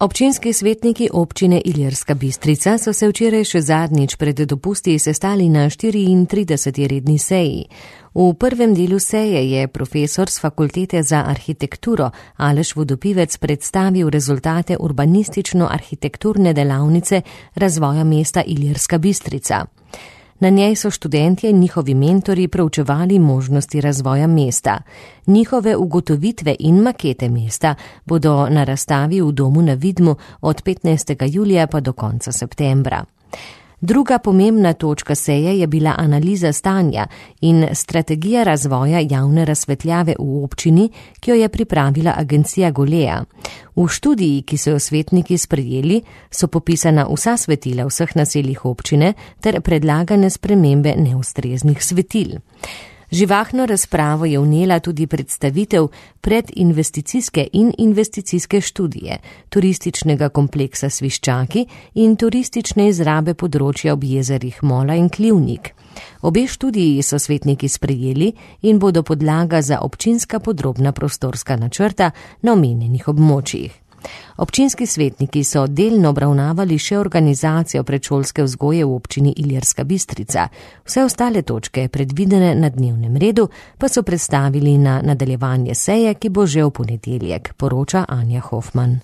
Občinski svetniki občine Ilirska Bistrica so se včeraj še zadnjič pred dopusti sestali na 34. redni seji. V prvem delu seje je profesor z Fakultete za arhitekturo Aleš Vodopivec predstavil rezultate urbanistično-arhitekturne delavnice razvoja mesta Ilirska Bistrica. Na njej so študentje in njihovi mentori proučevali možnosti razvoja mesta. Njihove ugotovitve in makete mesta bodo na razstavi v Domu na Vidmu od 15. julija pa do konca septembra. Druga pomembna točka seje je bila analiza stanja in strategija razvoja javne razsvetljave v občini, ki jo je pripravila agencija Golea. V študiji, ki so jo svetniki sprejeli, so popisana vsa svetila vseh naseljih občine ter predlagane spremembe neustreznih svetil. Živahno razpravo je vnela tudi predstavitev predinvesticijske in investicijske študije, turističnega kompleksa Sviščaki in turistične izrabe področja ob jezerih Mola in Klivnik. Obe študiji so svetniki sprejeli in bodo podlaga za občinska podrobna prostorska načrta na omenjenih območjih. Občinski svetniki so delno obravnavali še organizacijo predšolske vzgoje v občini Ilirska Bistrica. Vse ostale točke, predvidene na dnevnem redu, pa so predstavili na nadaljevanje seje, ki bo že v ponedeljek, poroča Anja Hofman.